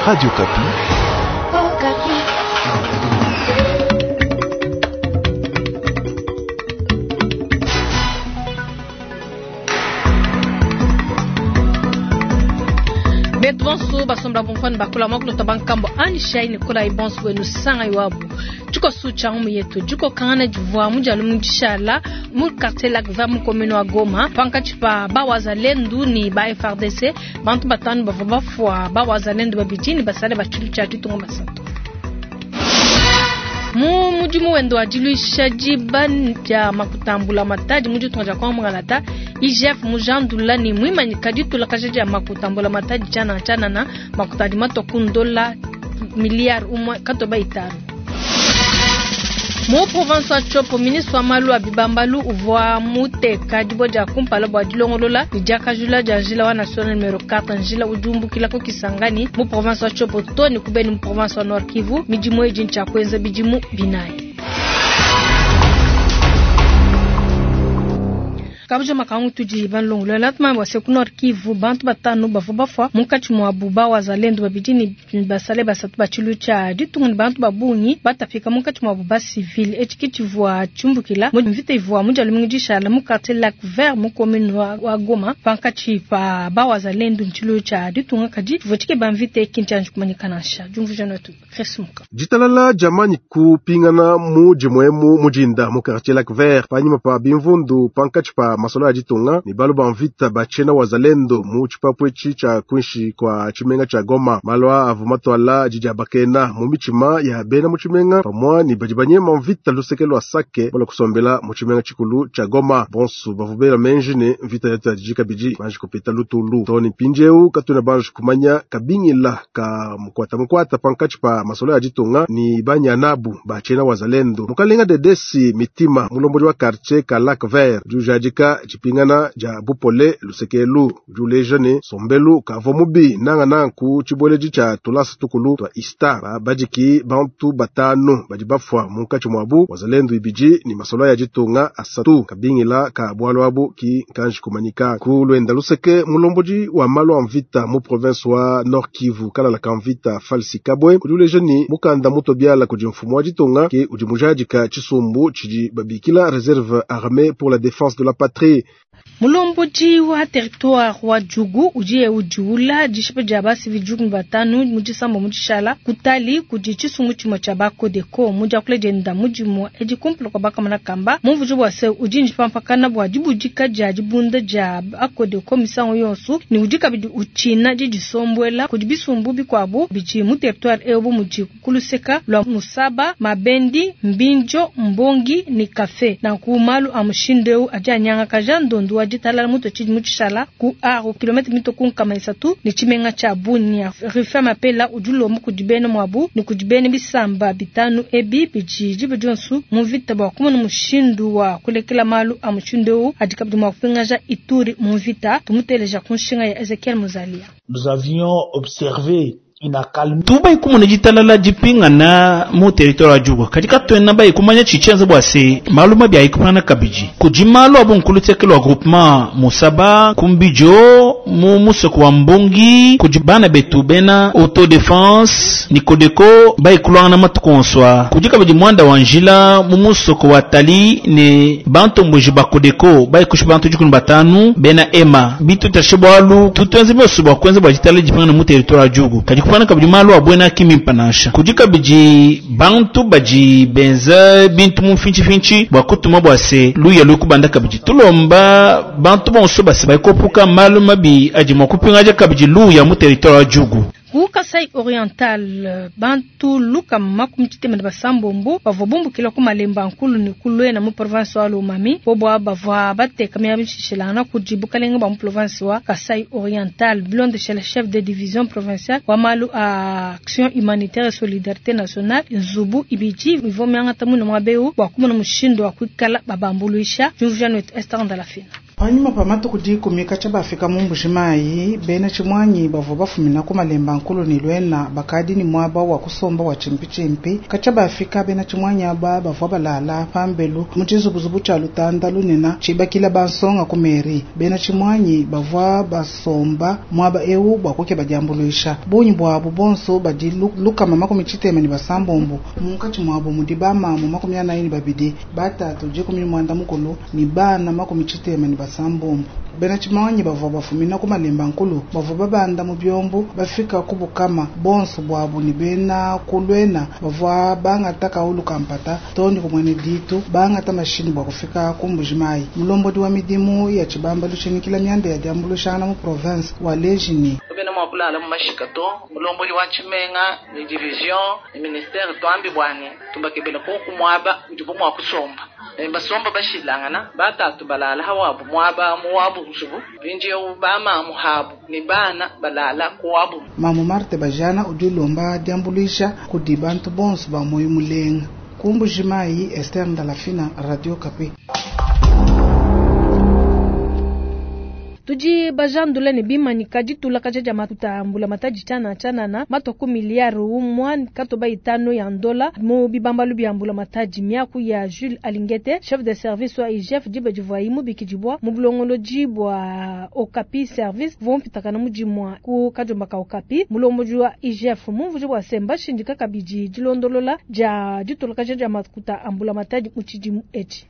Radio Okapi. Betu bonso basomba bomfani bakula mwa kulota bankambo anishai nikola ibonso wenu sanga iwabu tshikoso tshia ngumu yetu dikokangana divua mu dia lumingu dishala mu quartier Lac Vert mu commune wa Goma pankatshi pa ba Wazalendu ne ba FARDC. Bantu batanu bavua bafua, ba Wazalendu babidi ne basale ba tshilu tshia ditunga basatu. Mu mudimu wende wa diluisha diba dia makuta a mbulamatadi mu ditunga dia Congo Mungalata, IGF mujandula ne muimanyika ditulakaja dia makuta a mbulamatadi tshianana tshianana, makuta adi matua ku ndola miliyare umue katoba itanu. Mu province wa Tshopo, ministre wa malu a bibambalu uvua muteka dibue dia kumpala bua dilongolola ne diakajula dia njila wa national numero 4, njila udi umbukila ku Kisangani mu province wa Tshopo too ne ku Beni mu province wa Nord Kivu. Midimu eyi ntshia kuenza bidimu binayi. Kabuja makangu tudi banlongolola tumanye bua se ku Nord Kivu bantu batanu bavua bafua munkatshi muabu ba wazalendo babidi ne basale basatu ba tshilu tshia ditunga ne bantu ba bungi batapika munkatshi muabu ba civil. Etshi ke tshivua tshiumbukila mu mvita ivua mu dia lumingu dishala mu quartier Lac Vert mu commune wa Goma pankatshi pa ba wazalendo ne tshilu tshia ditunga, kadi tshivua tshikeba mvita ki ntshianji kumanyika nansha. Diumvuija netu Chris Muka. Ditalala diamanyi kupingana mu dimue emu mu dinda mu quartier Lac Vert panyima pa bimvundu pankatshi pa masolo a ditunga ne balu ba mvita ba tshiena wazalendo mu tshipapu etshi tshia kuinshi kua tshimenga tshia Goma. Malu aa avua matuala didiabakena mu mitshima ya bena mu tshimenga pamua ne badi banyema mvita luseke lua Sake balua kusombela mu tshimenga tshikulu tshia Goma. Bonsu bavua bela menji ne mvita yatuadiji kabidi banji kupeta lutulu. Too ne mpindieu katuena banji kumanya kabingila ka mukuata mukuata pankatshi pa masolo a ditunga ne banyanabu ba tshiena wazalendo. Mukalenga Dedesi Mitima, mulombodi wa quartier ka Lac Vert, udi ujadika dipingana dia bupole lusekelu. Udi uleja ne sombelu kavua mubi nangananga ku tshibueledi tshia tulasa tukulu tua Ista. Babadiki bantu batanu badi bafua munkatshi muabu wazalendo ibidi ne masolo ya ditunga asatu. Kabingila ka bualu abu ki nkanji kumanyika. Ku luenda luseke, mulombodi wa malu a mvita mu province wa Nord Kivu kalala ka mvita Falsi Kabwe udi uleja ne mukanda mutobiala kudi mfumu wa ditunga ke udi mujadika tshisumbu tshidi babikila Reserve Armée pour la Défense de la Patrie. Mulombodi wa territoire wa Djugu udi udiula dishipa dia basivi djugu ne batanu mu disambo mu dishala kutali kudi tshisumbu tshimue tshia ba Codeco. Mu diakula dienda mu dimue edi kumpala kua bakamana kamba mumvuija bua se udi njipampakana bua dibudika dia dibunda dia ba Codeco misangu yonso ne udi kabidi utshina didisombuela kudi bisumbu bikuabu bidi mu territoire eu bu mudi ku luseka lua Musaba, Mabendi, Mbinjo, Mbongi ne Kafe. Nanku malu a mushindu eu adi anyangakaja ndondu wa ditalala mutue tshidimu tshishala ku Aru, kilometre mitue ku nkama isatu ne tshimenga tshia Bunia. Rufin Mapela udi ulomba kudi bena muabu ne kudi bena bisamba bitanu ebi bidi diba dionso mu mvita bua kumona mushindu wa kulekela malu a mushindu eu adi kabidi mua kupingaja Ituri mu mvita. Tumuteleja ku nshinga ya Ezekiel Muzalia. Nous avions observé Tubayi kumona ditalala dipingana mu territoire wa Djugu, kadi katuena bayi kumanya tshidi tshienza bua se malu mabi ayi kupingana kabidi. Kudi malu a bungi ku luseke lua groupement Musaba, ku Mbijo, mu musoko wa Mbongi, kudi bana betu bena autodefense ne Codeco bayi kuluangana matuku onso aa. Kudi kabidi muanda wa njila mu musoko wa Tali ne bantomboji ba Codeco bayi kushipa bantu 15 bena Hema. Bitutashe bualu tutuenze bionso bua kuenza bua ditalala dipingane mu territoire wa Djugu, kadi kupana kabidi malu a buena ki mimpe nansha. Kudi kabidi bantu badi benza bintu mu mfintshifintshi bua kutuma bua se luya luye kubanda kabidi. Tulomba bantu bonso base bayi kuepuka malu mabi adi mua kupingaja kabidi luya mu territoire wa Djugu. Ku Kasai Oriental, bantu lukama makumi tshitema ne basambombo bavua bumbukila ku Malemba Nkulu ne ku Luena mu province wa Lomami. Bobo bavua bateka miaba mishilangana kudi bukalenge bua mu province wa Kasai Oriental. Bilondeshela chef de division provinciale wa malu a action humanitaire et solidarité nationale, nzubu ibidi ivua miangata muine muaba eu bua kumona mushindu wa kuikala babambuluisha. Diumvuija netu Esther Ndalafina. Panyima pa matuku 10 katshia bafika mu Mbujimayi, bena tshimuangi bavua bafumina ku Malemba Nkulu ne Luena bakadi ne muaba wa kusomba wa tshimpitshimpi. Katshia bafika bena tshimuangi aba bavua balala pambelu mu tshizubuzubu tshia lutanda lunene tshibakila bansonga ku mairie. Bena tshimuangi bavua basomba muaba eu bua kukeba diambuluisha. Bungi buabu bonso badi 166, munkatshi muabu mudi bamamu 42, batatu 15 ne bana 76. Bena tshimuangi bavua bafumina ku Malemba Nkulu bavua babanda mu biombu bafika ku Bukama bonso buabu ne bena ku Luena bavua bangata kaulu kampata too ne ku Mwene Ditu bangata mashini bua kufika ku Mbujimayi. Mulombodi wa midimu ya tshibambalu tshinyikila mianda ya diambuluishangana mu province wa Leji ne Kabena mua kulala mu mashika to. Mulombodi wa tshimenga ne division ne ministere tuambi bua ne tubakebela koku muaba udibu mua kusomba. Basomba bashilangana, batatu balala hawabu muaba mu wabu nzubu, mpindieu bamamu habu ne bana balala ku wabu. Mamu Marthe Bajana udi ulomba diambuluisha kudi bantu bonso ba muoyo mulenga. Ku Mbujimayi, Esther Ndalafina, Radio Okapi. Tudi bajandula ne bimanyika ditulakaja dia makuta a mbulamatadi tshianana tshianana matua ku miliyari umua katoba itanu ya ndola mu bibambalu bia mbulamatadi. Miaku ya Jules Alingete, chef de service wa IGF, diba divuayi mubikidibua mu bulongolodi bua Okapi Service uvua mupitakana mu dimua ku kadiomba ka Okapi. Mulombodi wa IGF mumvuije bua se, mbashindika kabidi dilondolola dia ditulakaja dia makuta a mbulamatadi mu tshidimu etshi.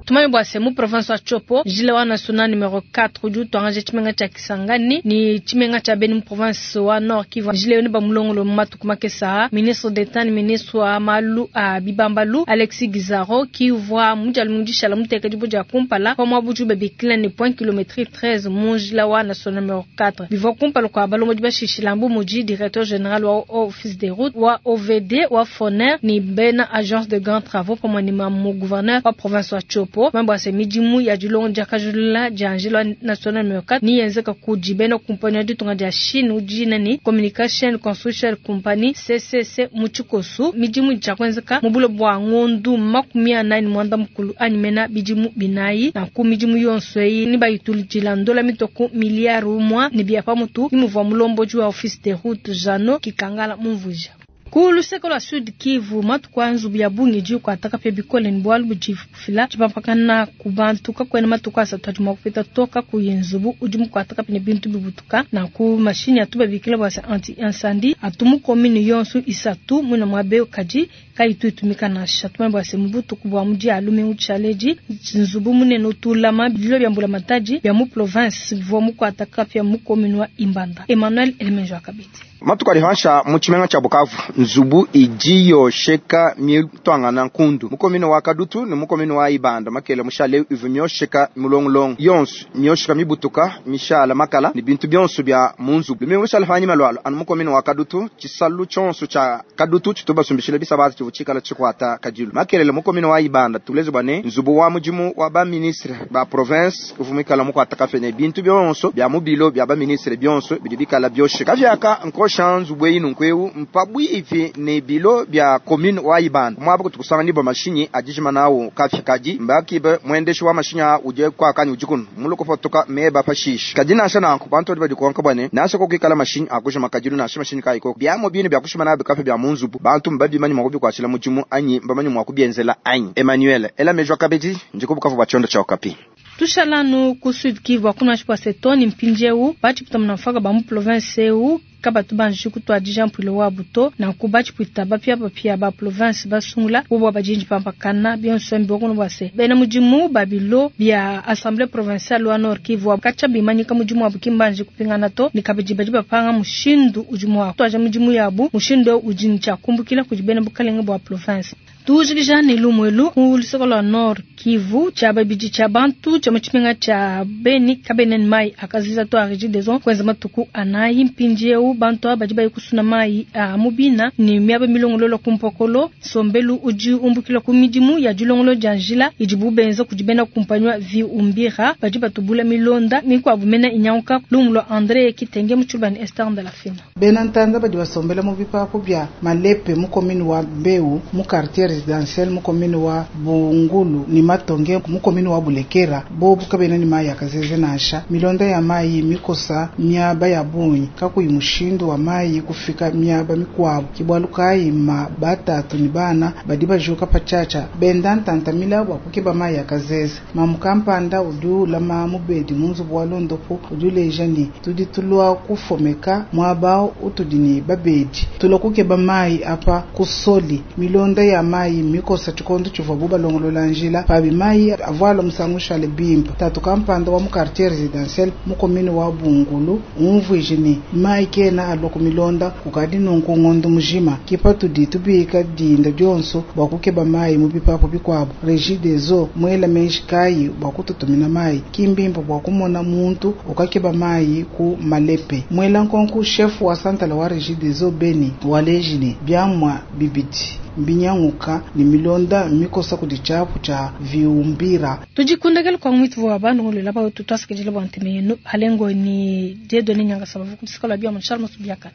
Tumanye bua se mu province wa Tshopo, njila wa national numero 4 udi utuangaja tshimenga tshia Kisangani ne tshimenga tshia Beni mu province wa Nord Kivu. Njila eu ne bamulongolo mu matuku makese aa. Ministre d'Etat ne ministre wa malu a bibambalu Alexis Gisaro ki uvua mu dia lumingu dishala muteka dibue dia kumpala pa muaba udibu babikila ne point kilometrique 13 mu njila wa national numero 4. Bivua kumpala kua balombodi bashishila bu mudi directeur general wa Office des routes, wa OVD, wa FONER ne bena agence de grands travaux pamue ne mamu gouverneur wa province wa Tshopo. Mambo ase midimu ya dilongo diakajulula dia njila national numero 4 ni yenzeka kudi bena kumpani ya ditunga dia Chine udi ne Communication Construction Company CCC mu tshikosu. Midimu diakuenzeka mu bulo bua ngondu 45 anyi mena bidimu binayi na ku midimu yonso eyi ni bayitulujila ndola mitoko miliyari umua ne bia pamutu ni muvua mulombodi wa Office des routes Jano Kikangala mumvuija. Ku luseke lua Sud Kivu, matuku a nzubu ya bungi idi ikuataka pe bikole ne bualu budi bufila tshipampakana ku bantu. Kakuena matuku asatu adi mua kupita to kakuyi nzubu udi mukuataka pe ne bintu bibutuka. Nanku mashinyi atu babikila bua se anti-incendie atu mu commune yonso isatu muina muaba eu kadi kayitu itumika nansha. Tumanye bua se mu butuku bua mu dia lumingu tshialedi, nzubu munene utulama bililo bia mbulamatadi bia mu province bivua mukuataka pe mu commune wa Ibanda. Emmanuel Elemenjo akabidi. Matuku adi hansha mu tshimenga tshia Bukavu, nzubu idi yosheka mitwangana nkundu mu commune wa Kadutu ne mu commune wa Ibanda. Makele mushale ivu myosheka mulongolongo yonso myosheka mibutuka mishala makala ne bintu byonso bya mu nzubu. Lumingu lushala hanyima lwalo anu mu commune wa Kadutu, tshisalu tshonso tshia Kadutu tshitubasumbishile bisabata tshivu tshikala tshikwata kadilu. Makelele mu commune wa Ibanda tuleze bwa ne nzubu wa mudimu wa ba ministre ba province uvu mikala mukwata kafe ne bintu byonso bya mu bilo bya ba ministre byonso bidi bikala byosheka. Kavyaka nkosha nzubu eyi nunku mpabwipi ne bilo bya commune wa Ibanda. Mwaba kutukusanga nibo mashinyi adijima nawo kafya kadi mbakibe mwendeshi wa mashinyi a uje kwa kanyi ujikunu muluko fotoka meba pashisha kadi nansha nanku bantu badi badikonka bwane nansha kokikala mashinyi akujima kadilu nansha mashinyi kayiko byamo binu bya kushima nabe kafya bya munzubu bantu mbabimanyi mwa kubikwashila mudimu anyi mbamanyi mwa kubienzela anyi. Emmanuel ela mejwa kabedi ndiko Bukavu bwa chondo cha Okapi. Tushalanu ku Sud Kivu akuna shipwa setoni mpindieu bachipita munafaka ba mu province eu kabatu banji kutwadija mpwilo wa buto na kubachipwita bapya bapya ba province basungula bobwa bajinji pampakana byonso mbi okuno bwase bena mudimu babilo bya assemblée provinciale wa Nord Kivu kacha bimanyika mudimu wa bukimbanji kupingana to ni kabidi badi bapanga mushindu udimu wa twaja mudimu yabu mushindu udi nchakumbukila kudi bena bukalenge bwa province. Tujikija ne lumwelu ku luseke lwa Nord Kivu tshia babidi tshia bantu tshia mu tshimenga tshia Beni kabenen mai akaziza to a Regideso kwenza matuku anayi mpindieu bantu aba badi bayi kusuna mai a mubina ne miaba milongololo ku mpokolo sombelu udi umbukila ku midimu ya dilongolo dia njila idi bubenza kudi bena kumpanywa vi umbira badi batubula milonda mikwabu mena inyanguka lumu lwa André Kitenge mu tshilubani Esther de la Fina. Bena ntanza badi basombela mu bipapu bia Malepe mu commune wa Mbeu mu quartier. Residentiel mu commune wa Bungulu ne Matonge mu commune wa Bulekera bobu kabena ne mayi a kazeze nansha. Milonda ya mayi mikosa miaba ya bungi kakuyi mushindu wa mayi kufika miaba mikuabu. Ke bualu kayi ma batatu ne bana badi bajuka patshiatshia benda ntantamila bua kukeba mayi a kazeze. Mamu kampanda udi ulama mubedi mu nzubu wa londopu udi uleja ne, tudi tulua kufomeka muaba utudi ne babedi, tulua kukeba mayi apa ku soli. Milonda ya mayi mikosa tshikondo tshivuabu balongolola njila, pabi mayi avua alua musangu mushale bimpe. Tatu kampanda wa mu quartier residentiel mu commune wa Bungulu umvuije ne, mayi kena alua ku milonda kukadi nunku ngondo mujima. Ke patudi tubika dinda dionso bua kukeba mayi mu bipapu bikuabu. Regideso muela meji kayi bua kututumina mayi? Ki mbimpe bua kumona muntu ukakeba mayi ku malepe. Muela nkonku chef wa santala wa Regideso Beni waleji ne, biamua bibidi mbinyanguka ne milonda mikosa kudi tshiapu tshia Viumbira. Tudi kundekela kwa mwitu wa bandu ngolola ba tutu twasikidila bua nteme yenu alengo ni Dieudonné Nyangasaba vukudisikala bia mu Charles Musubiakana.